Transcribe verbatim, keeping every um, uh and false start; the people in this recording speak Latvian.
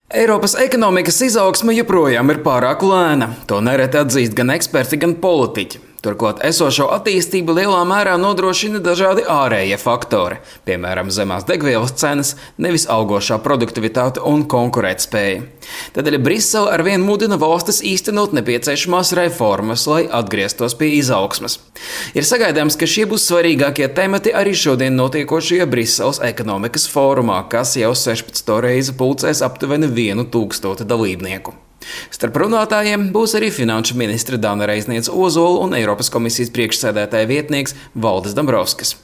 Eiropas ekonomikas izaugsme joprojām ir pārāk lēna. To nereti atzīst gan eksperti, gan politiķi. Turklāt esošo attīstību lielā mērā nodrošina dažādi ārējie faktori, piemēram, zemās degvielas cenas, nevis augošā produktivitāte un konkurētspēja. Tādēļ Brisele arvien mudina valstis īstenot nepieciešamās reformas, lai atgrieztos pie izaugsmes. Ir sagaidāms, ka šie būs svarīgākie temati arī šodien notiekošajā Briseles ekonomikas fórumā, kas jau sešpadsmito reizi pulcēs aptuveni vienu tūkstoti dalībnieku. Starp runātājiem būs arī finanšu ministre Dana Reizniece Ozola un Eiropas komisijas priekšsēdētāja vietnieks Valdis Dombrovskis.